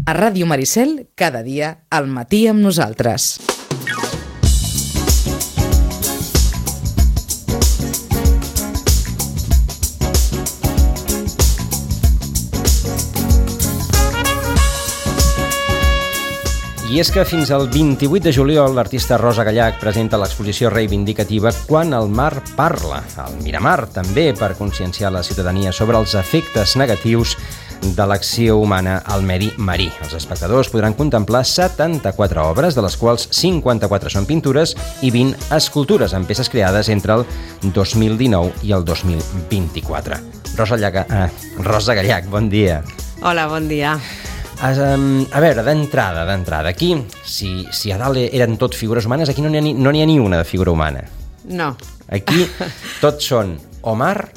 A Ràdio Maricel, cada dia, al matí amb nosaltres. I és que fins al 28 de juliol l'artista Rosa Gallach presenta l'exposició reivindicativa Quan el mar parla, al Miramar, també per conscienciar la ciutadania sobre els efectes negatius de l'acció humana al medi marí. Els espectadors podran contemplar 74 obres, de les quals 54 són pintures i 20 escultures, amb peces creades entre el 2019 i el 2024. Rosa Gallach, bon dia. Hola, bon dia. A veure, d'entrada, aquí, si a dalt eren tot figures humanes, aquí no n'hi ha ni una de figura humana. No. Aquí tots són o mar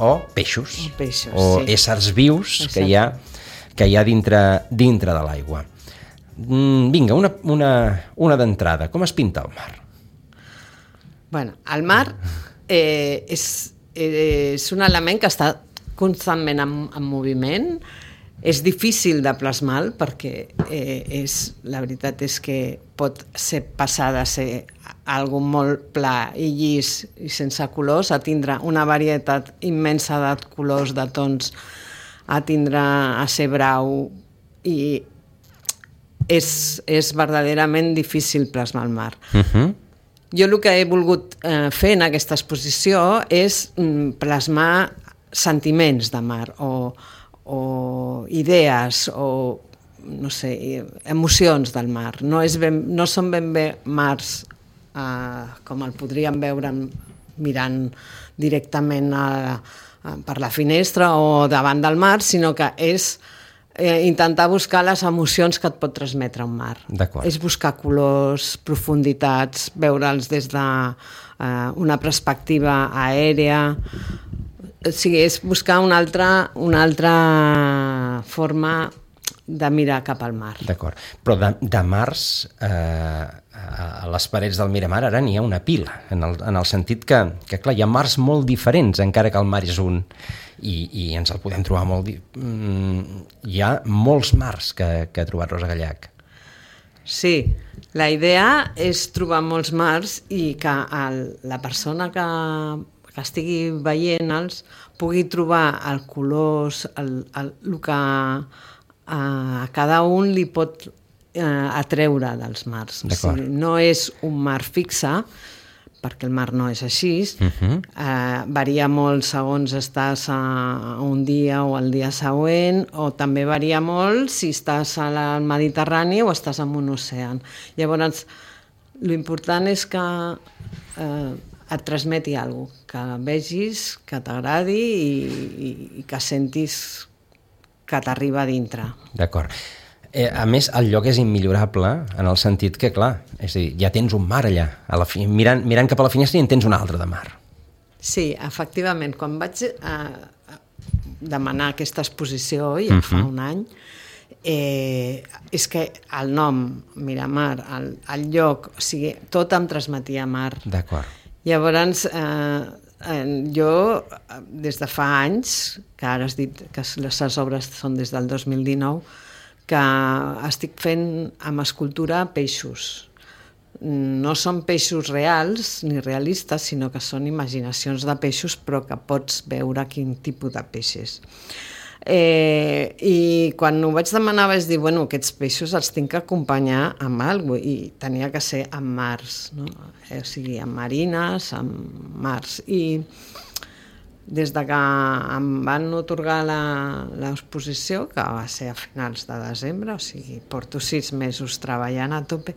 o peixos, o sí. Éssers vius que hi ha dintre de l'aigua. Vinga, una d'entrada. Com es pinta el mar? Bueno, el mar és un element que està constantment en moviment. És difícil de plasmar perquè la veritat és que pot passar de ser algo molt pla i llis i sense colors a tindre una varietat immensa de colors, de tons, a ser brau, i és verdaderament difícil plasmar el mar. Jo el que he volgut fer en aquesta exposició és plasmar sentiments de mar o idees o, no sé, emocions del mar. No són ben bé mars com el podríem veure mirant directament per la finestra o davant del mar, sinó que és intentar buscar les emocions que et pot transmetre un mar. És buscar colors, profunditats, veure'ls des d'una perspectiva aèria. O sigui, és buscar una altra forma de mirar cap al mar. D'acord. Però de mars, a les parets del Miramar, ara n'hi ha una pila, en el sentit que, clar, hi ha mars molt diferents, encara que el mar és un, i ens el podem trobar molt... Hi ha molts mars que ha trobat Rosa Gallach. Sí, la idea és trobar molts mars i que la persona que estigui veient-los pugui trobar el colors, el que a cada un li pot atreure dels mars. O sigui, no és un mar fixe, perquè el mar no és així, varia molt segons estàs un dia o el dia següent, o també varia molt si estàs al Mediterrani o estàs en un oceà. Llavors, l'important és que et transmeti alguna cosa, que vegis, que t'agradi i que sentis que t'arriba a dintre. D'acord. A més, el lloc és immillorable en el sentit que, clar, és a dir, ja tens un mar allà. Mirant cap a la finestra i en tens un altre de mar. Sí, efectivament. Quan vaig demanar aquesta exposició, ja fa un any, és que el nom, Miramar, el lloc, o sigui, tot em transmetia mar. D'acord. Llavors, jo, des de fa anys, que ara has dit que les obres són des del 2019, que estic fent amb escultura peixos. No són peixos reals ni realistes, sinó que són imaginacions de peixos, però que pots veure quin tipus de peix és. I quan ho vaig demanar vaig dir, bueno, aquests peixos els tinc que acompanyar amb alguna cosa, i tenia que ser amb mars, no? O sigui, amb marines, amb mars. I des de que em van atorgar l'exposició, que va ser a finals de desembre, o sigui, porto 6 mesos treballant a tope,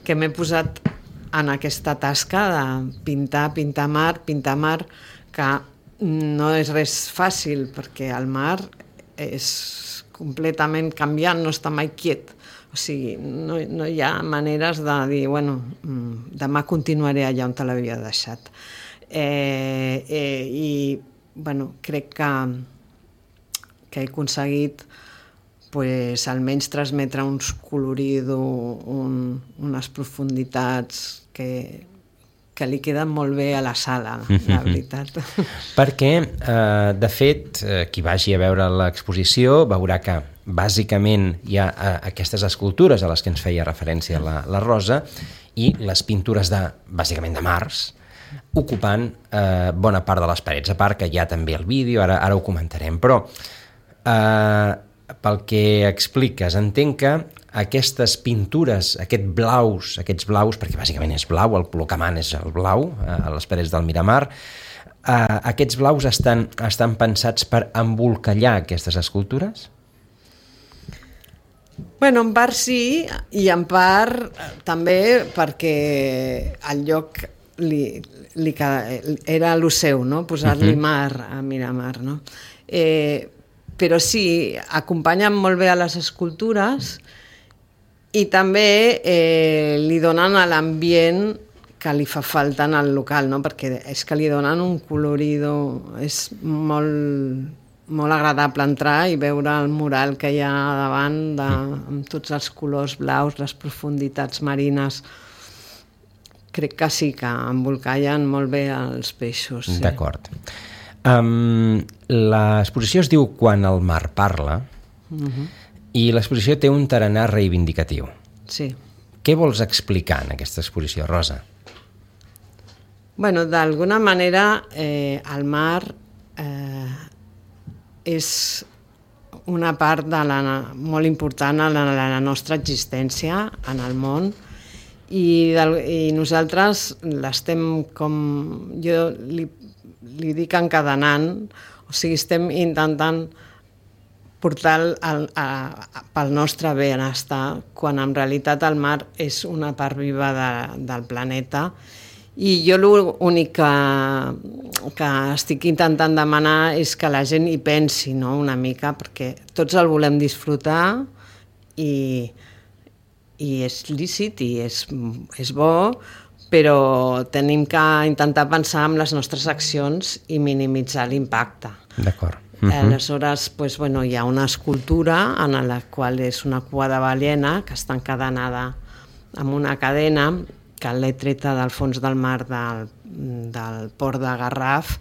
que m'he posat en aquesta tasca de pintar mar, que no és res fàcil, perquè el mar és completament canviant, no està mai quiet. O sigui, no hi ha maneres de dir, bueno, demà continuaré allà on te l'havia deixat. I, bueno, crec que he aconseguit almenys transmetre uns coloridos, unes profunditats que li queden molt bé a la sala, la veritat. Perquè, de fet, qui vagi a veure l'exposició veurà que bàsicament hi ha aquestes escultures a les que ens feia referència la Rosa i les pintures bàsicament de Mars, ocupant bona part de les parets, a part que hi ha també el vídeo, ara ho comentarem, però pel que expliques, entenc que aquestes pintures, aquests blaus, perquè bàsicament és blau, el color que mana és el blau, a les parets del Miramar, aquests blaus estan pensats per embolcallar aquestes escultures? Bueno, en part sí, i en part també perquè el lloc era lo seu, no? Posar-li mar a Miramar, no? Però sí, acompanyen molt bé a les escultures i també li donen a l'ambient que li fa falta en el local, no? Perquè és que li donen un colorido, és molt agradable entrar i veure el mural que hi ha davant amb tots els colors blaus, les profunditats marines. Crec que sí, que embolcallen molt bé els peixos. Sí. D'acord. L'exposició es diu Quan el mar parla i l'exposició té un tarannà reivindicatiu. Sí. Què vols explicar en aquesta exposició, Rosa? Bueno, d'alguna manera el mar és una part molt important en la nostra existència en el món i nosaltres l'estem jo li dic encadenant, o sigui, estem intentant portar pel nostre benestar, quan en realitat el mar és una part viva del planeta. I jo l'únic que estic intentant demanar és que la gent hi pensi, no?, una mica, perquè tots el volem disfrutar i és lícit i és bo, però tenim que intentar pensar en les nostres accions i minimitzar l'impacte. D'acord. Aleshores, hi ha una escultura en la qual és una cua de balena que està encadenada amb una cadena que l'he treta del fons del mar del port de Garraf,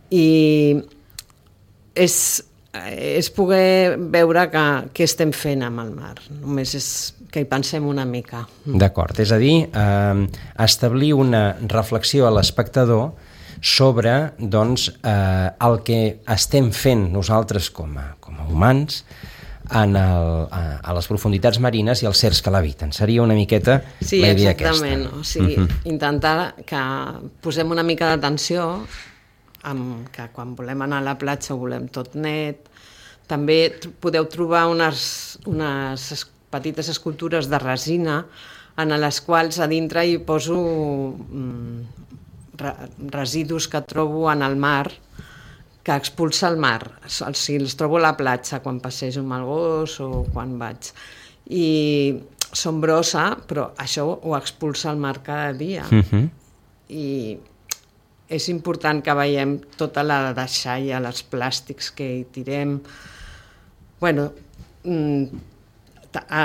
i és poder veure què estem fent amb el mar. Només és que hi pensem una mica. D'acord, és a dir, establir una reflexió a l'espectador sobre el que estem fent nosaltres com a humans a les profunditats marines i els cercs que l'habiten. Seria una miqueta la idea aquesta. Sí, exactament. O sigui, intentar que posem una mica d'atenció que quan volem anar a la platja ho volem tot net. També podeu trobar unes petites escultures de resina en les quals a dintre hi poso residus que trobo en el mar, que expulsa el mar. Si els trobo a la platja quan passejo amb el gos o quan vaig. I són brossa, però això ho expulsa el mar cada dia. I és important que veiem tota la deixalla, els plàstics que hi tirem.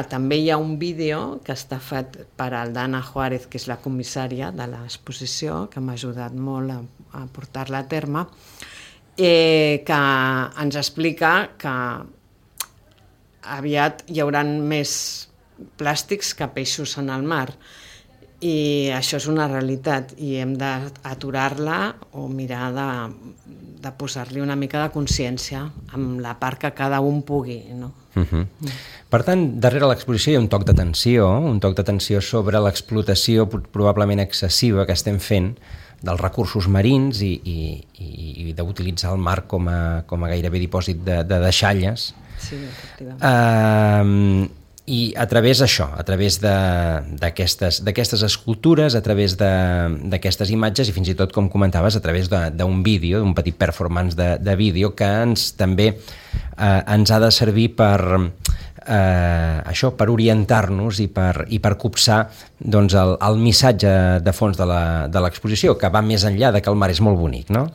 També hi ha un vídeo que està fet per Aldana Juárez, que és la comissària de l'exposició, que m'ha ajudat molt a portar-la a terme, que ens explica que aviat hi haurà més plàstics que peixos en el mar. I això és una realitat i hem d'aturar-la o mirar de posar-li una mica de consciència amb la part que cada un pugui, no? Per tant, darrere l'exposició hi ha un toc d'atenció sobre l'explotació probablement excessiva que estem fent dels recursos marins i d'utilitzar el mar com a gairebé dipòsit de deixalles. Sí, efectivament. I a través d'aquestes escultures, a través d'aquestes imatges i fins i tot, com comentaves, a través d'un vídeo, d'un petit performance de vídeo que també ens ha de servir per orientar-nos i per copsar el missatge de fons de l'exposició, que va més enllà de que el mar és molt bonic, no?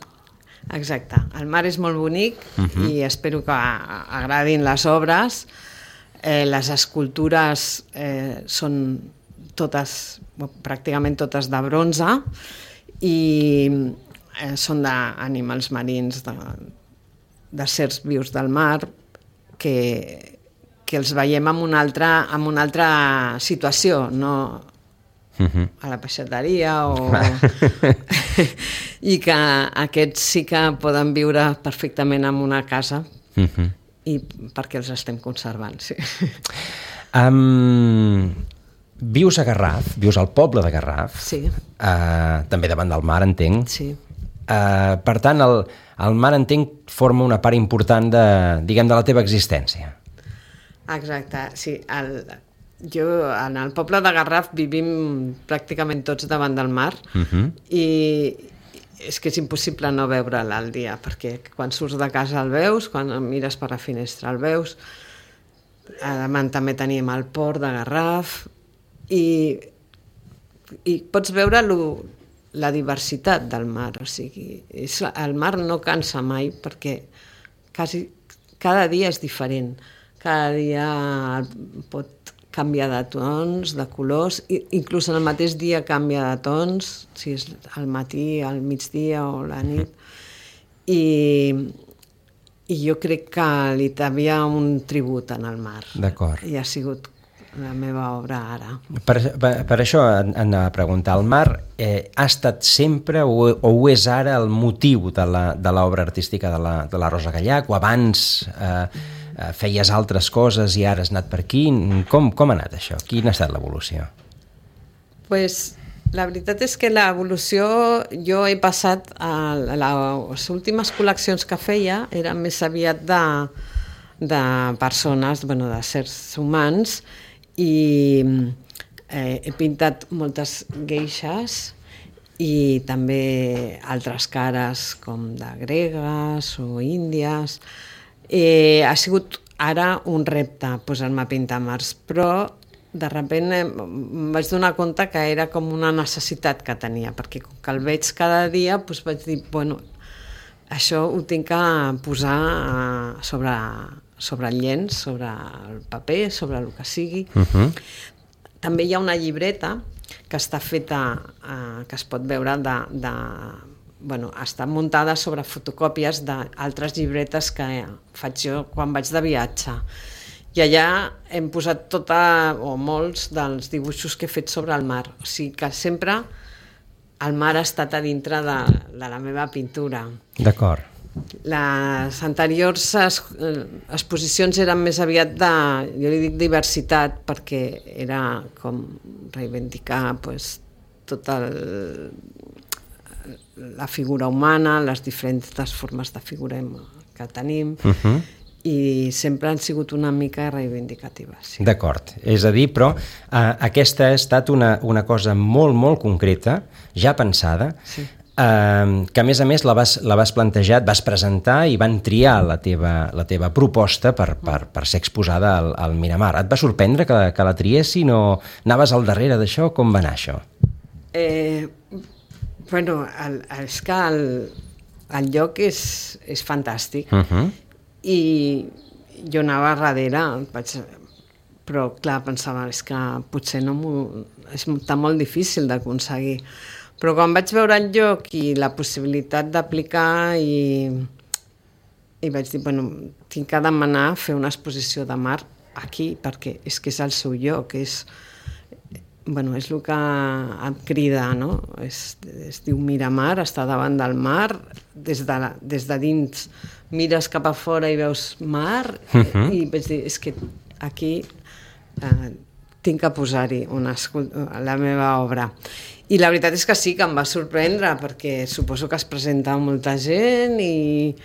Exacte, el mar és molt bonic i espero que agradin les obres. Les escultures són pràcticament totes de bronze i són d'animals marins, de certs vius del mar, que que els veiem en una altra situació, no a la peixateria i que aquests sí que poden viure perfectament en una casa i perquè els estem conservant, sí. Vius a Garraf, vius al poble de Garraf, Sí. També davant del mar, entenc. Sí. Per tant, el mar, entenc, forma una part important de la teva existència. Exacte, sí. Jo, en el poble de Garraf vivim pràcticament tots davant del mar i és que és impossible no veure'l al dia, perquè quan surts de casa el veus, quan mires per la finestra el veus. A Damant també tenim el port de Garraf i pots veure la diversitat del mar, o sigui, el mar no cansa mai perquè cada dia és diferent, cada dia pot canviar de tons, de colors, inclús en el mateix dia canvia de tons, si és al matí, al migdia o la nit, i jo crec que li devia un tribut en el mar. D'acord. I ha sigut la meva obra ara. Per això anava a preguntar, el mar ha estat sempre o ho és ara el motiu de l'obra artística de la Rosa Gallach, o abans feies altres coses i ara has anat per aquí? Com ha anat això? Quina ha estat l'evolució? Pues, la veritat és que l'evolució, jo he passat a les últimes col·leccions que feia eren més aviat de persones, de sers humans, i he pintat moltes geishes i també altres cares com de gregues o índies. Ha sigut ara un repte posar-me a pintar mars, però de sobte em vaig donar compte que era com una necessitat que tenia, perquè com que el veig cada dia vaig dir, això ho tinc que posar sobre el llenç, sobre el paper, sobre el que sigui. També hi ha una llibreta que està feta, que es pot veure està muntada sobre fotocòpies d'altres llibretes que faig jo quan vaig de viatge. I allà hem posat molts dels dibuixos que he fet sobre el mar. O sigui que sempre el mar ha estat a dintre de la meva pintura. D'acord. Les anteriors exposicions eren més aviat jo li dic diversitat, perquè era com reivindicar tota la figura humana, les diferents formes de figura que tenim, i sempre han sigut una mica reivindicatives. Sí. D'acord, és a dir, però aquesta ha estat una cosa molt, molt concreta, ja pensada, sí. Que a més la vas plantejar, et vas presentar i van triar la teva proposta per ser exposada al Miramar. Et va sorprendre que la triessin o anaves al darrere d'això? Com va anar això? És que el lloc és fantàstic i jo anava darrere, però clar, pensava, és que potser està molt difícil d'aconseguir. Però quan vaig veure el lloc i la possibilitat d'aplicar i vaig dir, tinc que demanar fer una exposició de mar aquí, perquè és que és el seu lloc, és el que em crida, no? Es diu Miramar, està davant del mar, des de dins mires cap a fora i veus mar, i vaig dir, és que aquí tinc que posar-hi la meva obra. I la veritat és que sí, que em va sorprendre, perquè suposo que es presenta molta gent i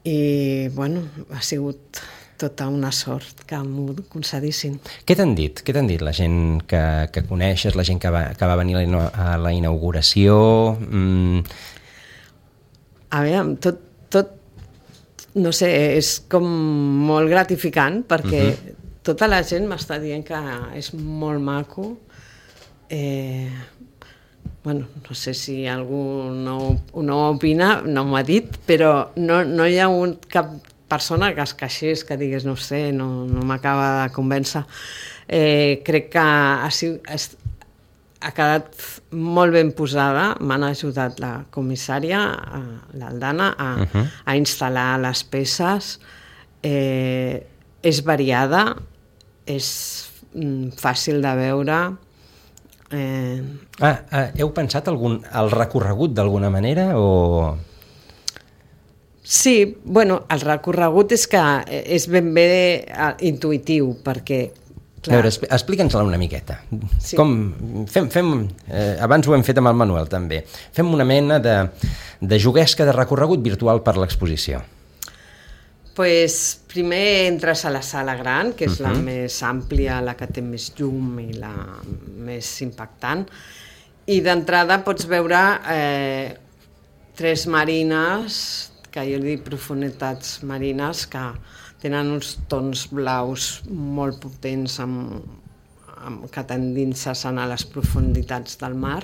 ha sigut tota una sort que m'ho concedissin. Què t'han dit? Què t'han dit la gent que coneixes, la gent que va venir a la inauguració? A veure, tot, no sé, és com molt gratificant, perquè tota la gent m'està dient que és molt maco. No sé si algú no opina, no m'ho ha dit, però no hi ha cap persona que es queixés, que digués, no sé, no m'acaba de convèncer. Crec que ha quedat molt ben posada, m'han ajudat la comissària, l'Aldana, a instal·lar les peces. és variada, és fàcil de veure. Heu pensat el recorregut d'alguna manera o...? Sí, bueno, el recorregut és que és ben bé intuïtiu, perquè... A veure, explica'ns-la una miqueta. Sí. Abans ho hem fet amb el Manuel, també. Fem una mena de juguesca de recorregut virtual per l'exposició. Pues, primer entres a la sala gran, que és la més àmplia, la que té més llum i la més impactant, i d'entrada pots veure 3 marines, que jo dic profunditats marines, que tenen uns tons blaus molt potents que t'endinses a les profunditats del mar.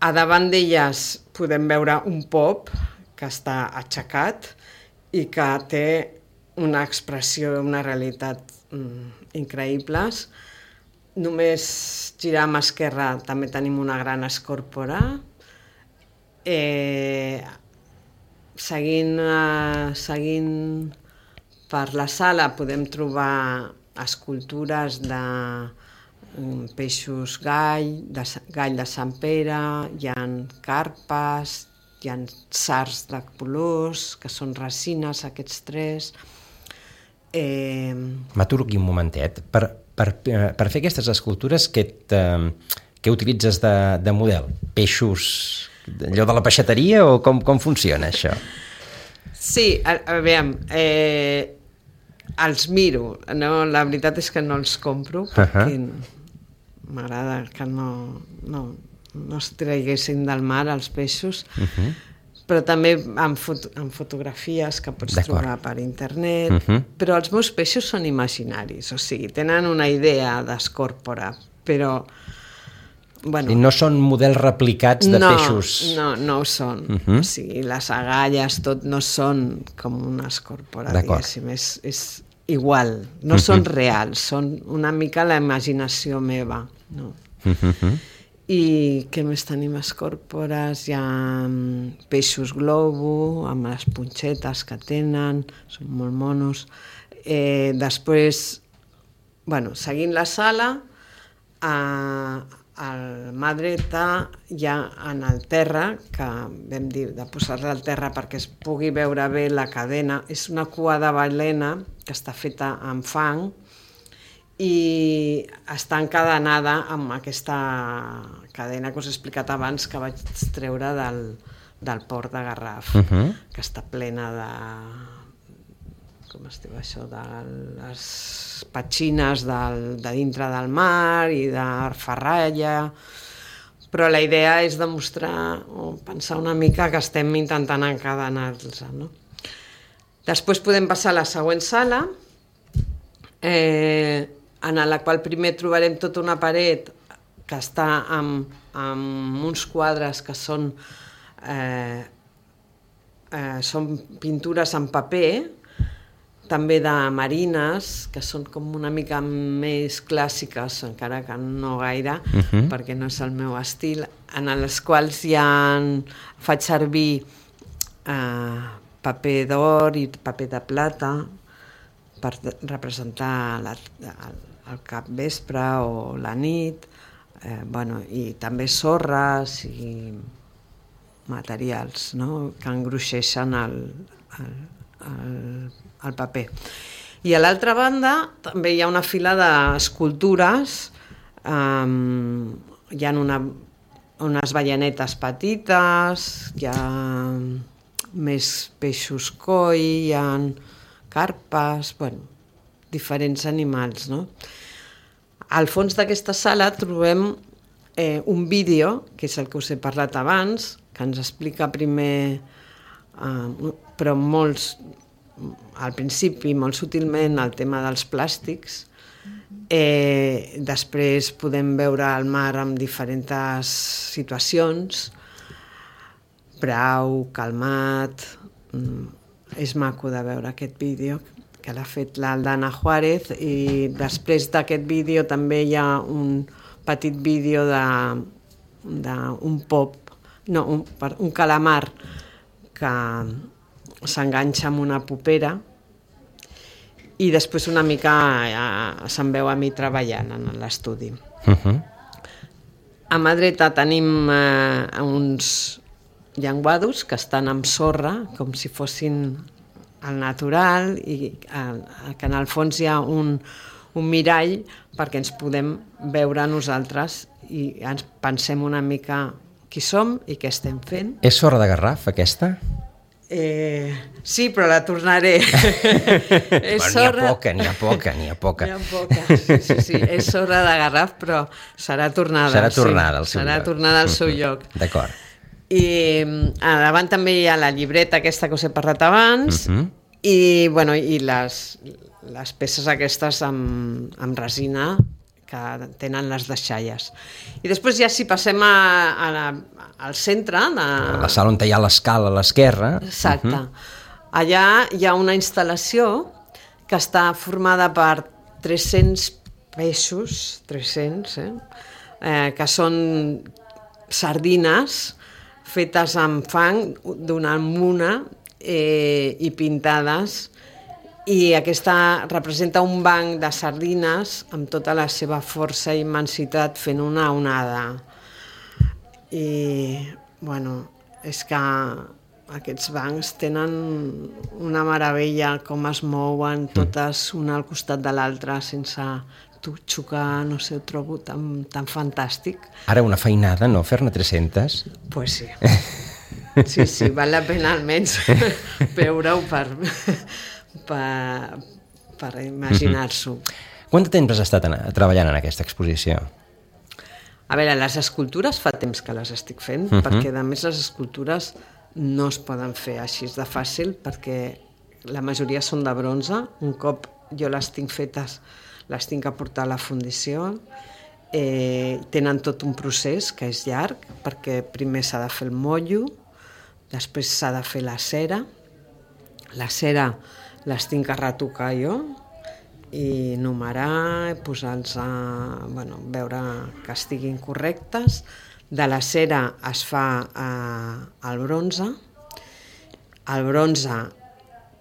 A davant d'elles podem veure un pop que està aixecat i que té una expressió, una realitat increïbles. Només girar a mà esquerra també tenim una gran escòrpora. Seguint per la sala podem trobar escultures de peixos gall de Sant Pere, hi ha carpes, hi ha sards de colors, que són resines, aquests 3. M'aturo aquí un momentet. Per fer aquestes escultures, què utilitzes de model? Peixos, allò de la peixateria, o com funciona això? Sí, a veure, els miro. No, la veritat és que no els compro, perquè m'agrada que no es traguessin del mar els peixos, però també amb fotografies que pots trobar per internet, però els meus peixos són imaginaris, o sigui, tenen una idea d'escòrpora, però... Bueno, i no són models replicats de peixos? No ho són. O sigui, les agalles, tot no són com una escòrpora, diguéssim, és igual, no són reals, són una mica la imaginació meva, no? I què més tenim? Escòrpores, hi ha peixos globo, amb les punxetes que tenen, són molt monos. Després, bueno, seguint la sala, al mà dreta hi ha en el terra, que vam dir de posar-la al terra perquè es pugui veure bé la cadena, és una cua de balena que està feta amb fang i està encadenada amb aquesta cadena que us he explicat abans, que vaig treure del port de Garraf, que està plena de... com es diu això, de les petxines de dintre del mar i de ferralla, però la idea és demostrar o pensar una mica que estem intentant encadenar-los, no? Després podem passar a la següent sala, en la qual primer trobarem tota una paret que està amb uns quadres que són pintures en paper, també de marines, que són com una mica més clàssiques, encara que no gaire, perquè no és el meu estil, en les quals faig servir paper d'or i paper de plata per representar el capvespre o la nit, i també sorres i materials, no?, que engruixeixen el paper. I a l'altra banda també hi ha una fila d'escultures, hi ha unes ballanetes petites, hi ha més peixos koi, hi ha carpes, diferents animals, no? Al fons d'aquesta sala trobem un vídeo, que és el que us he parlat abans, que ens explica primer, però al principi, molt sutilment, el tema dels plàstics. Després podem veure el mar en diferents situacions, brau, calmat. És maco de veure aquest vídeo, que l'ha fet l'Aldana Juárez, i després d'aquest vídeo també hi ha un petit vídeo d'un pop, no, un calamar que s'enganxa amb una popera i després una mica se'm veu a mi treballant en l'estudi. A mà dreta tenim uns llenguados que estan amb sorra, com si fossin al natural, i que en el fons hi ha un mirall perquè ens podem veure nosaltres i ens pensem una mica qui som i què estem fent. És sorra de garraf, aquesta? Sí, però la tornaré. N'hi ha poca. N'hi ha poca, sí. És sorra de garraf, però serà tornada. Serà tornada al seu lloc. Serà tornada al seu lloc. D'acord. I a davant també hi ha la llibreta aquesta que us he parlat abans, i les peces aquestes amb resina que tenen les deixalles. I després ja si passem al centre... La sala on hi ha l'escala a l'esquerra. Exacte. Allà hi ha una instal·lació que està formada per 300 peixos, 300, que són sardines fetes amb fang d'una muna i pintades, i aquesta representa un banc de sardines amb tota la seva força i immensitat fent una onada. I, és que aquests bancs tenen una meravella, com es mouen totes una al costat de l'altra sense xocar, no sé, ho trobo tan fantàstic. Ara una feinada, no? Fer-ne 300? Pues sí. Sí, val la pena almenys veure-ho per imaginar-s'ho. Quant de temps has estat treballant en aquesta exposició? A veure, les escultures fa temps que les estic fent, perquè a més les escultures no es poden fer així de fàcil, perquè la majoria són de bronze. Un cop jo les tinc fetes, les tinc que portar a la fundició. Tenen tot un procés que és llarg, perquè primer s'ha de fer el motllo, després s'ha de fer la cera. La cera les tinc que retocar jo i numerar, posar-los veure que estiguin correctes. De la cera es fa el bronze. El bronze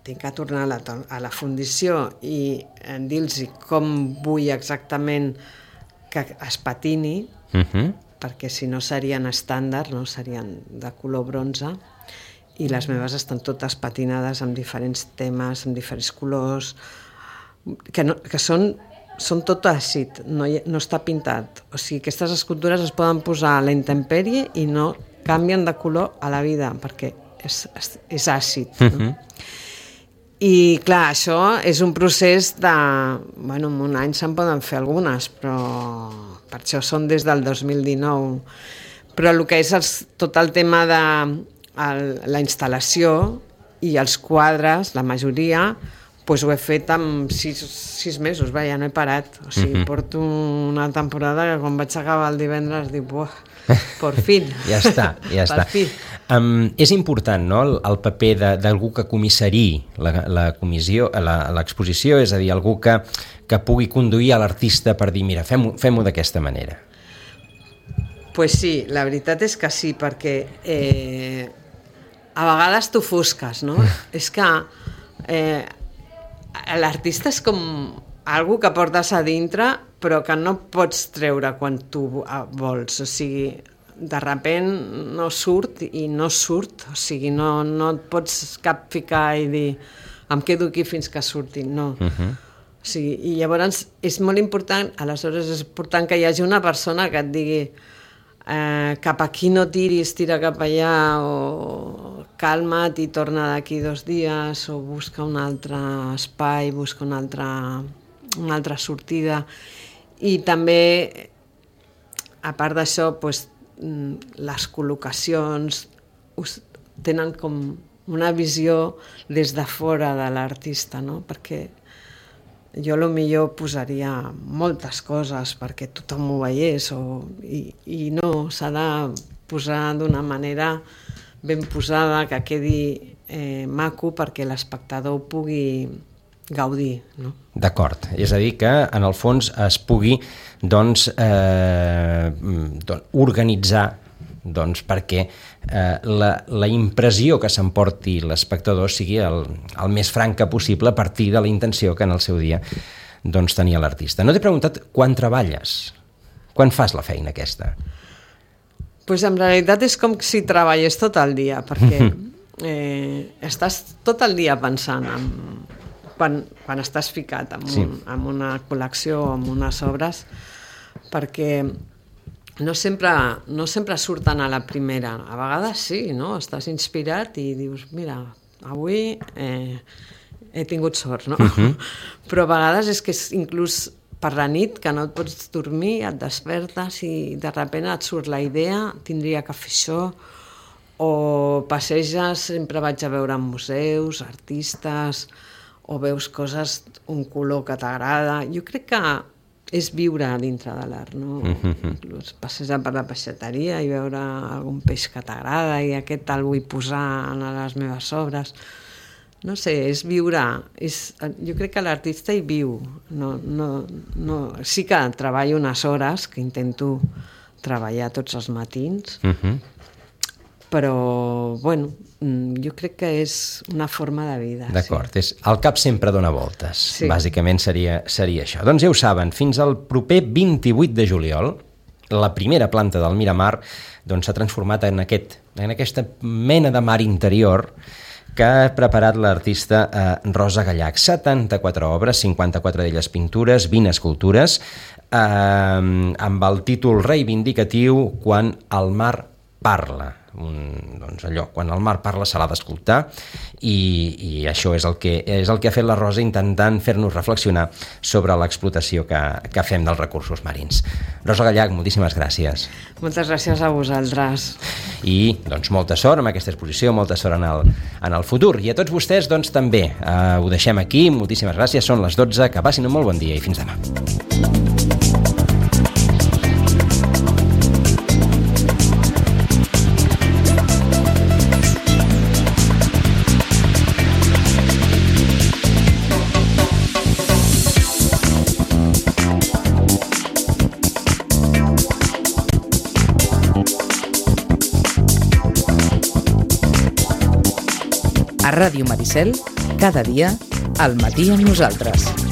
tinc que tornar a la fundició i dir-los com vull exactament que es patini, perquè si no serien estàndard, no serien de color bronze, i les meves estan totes patinades amb diferents temes, amb diferents colors, que són tot àcid, no està pintat. O sigui, aquestes escultures es poden posar a la intempèrie i no canvien de color a la vida, perquè és àcid. No? I clar, això és un procés de... en un any se'n poden fer algunes, però per això són des del 2019. Però el que és tot el tema de la instal·lació i els quadres, la majoria, doncs ho he fet en 6 mesos, ja no he parat. O sigui, porto una temporada que quan vaig acabar el divendres dic, por fin. Ja està. És important, no?, el paper d'algú que comissari l'exposició, és a dir, algú que pugui conduir a l'artista per dir, mira, fem-ho d'aquesta manera. Pues sí, la veritat és que sí, perquè a vegades t'ofusques, no? És que l'artista és com algú que portes a dintre però que no pots treure quan tu vols, o sigui, de sobte no surt i no surt, o sigui, no et pots cap ficar i dir em quedo aquí fins que surti, no. O sigui, i llavors és molt important, aleshores és important que hi hagi una persona que et digui cap aquí no tiris, tira cap allà, o calma't i torna d'aquí 2 dies, o busca un altre espai, busca una altra sortida. I també, a part d'això, les col·locacions tenen com una visió des de fora de l'artista, no? Perquè jo potser posaria moltes coses perquè tothom ho veiés, i no, s'ha de posar d'una manera ben posada, que quedi maco perquè l'espectador pugui gaudir, no? D'acord, és a dir que en el fons es pugui organitzar doncs perquè la impressió que s'emporti l'espectador sigui el més franca possible a partir de la intenció que en el seu dia doncs, tenia l'artista. No t'he preguntat quan treballes, quan fas la feina aquesta? Pues en realitat és com si treballés tot el dia, perquè estàs tot el dia pensant quan estàs ficat en una col·lecció o en unes obres, perquè no sempre surten a la primera. A vegades sí, no? Estàs inspirat i dius, mira, avui he tingut sort, no? Però a vegades és que inclús per la nit, que no et pots dormir, et despertes i de sobte et surt la idea, tindria que fer això, o passeges, sempre vaig a veure en museus, artistes, o veus coses, un color que t'agrada. Jo crec que és viure dintre de l'art, no? Inclús passejar per la peixateria i veure algun peix que t'agrada i aquest el vull posar en les meves obres. No sé, és viure. Jo crec que l'artista hi viu. Sí que treballo unes hores, que intento treballar tots els matins, però, bueno, jo crec que és una forma de vida. D'acord, el cap sempre dona voltes, bàsicament seria això. Doncs ja ho saben, fins al proper 28 de juliol, la primera planta del Miramar s'ha transformat en aquesta mena de mar interior que ha preparat l'artista Rosa Gallach. 74 obres, 54 d'elles pintures, 20 escultures, amb el títol reivindicatiu Quan el mar parla. Doncs allò, quan el mar parla se l'ha d'escoltar i això és el que ha fet la Rosa, intentant fer-nos reflexionar sobre l'explotació que fem dels recursos marins. Rosa Gallach, moltíssimes gràcies. Moltes gràcies a vosaltres. I doncs molta sort amb aquesta exposició, molta sort en el futur. I a tots vostès doncs també ho deixem aquí, moltíssimes gràcies, són les 12, que passin un molt bon dia i fins demà. A Ràdio Maricel, cada dia, al matí amb nosaltres.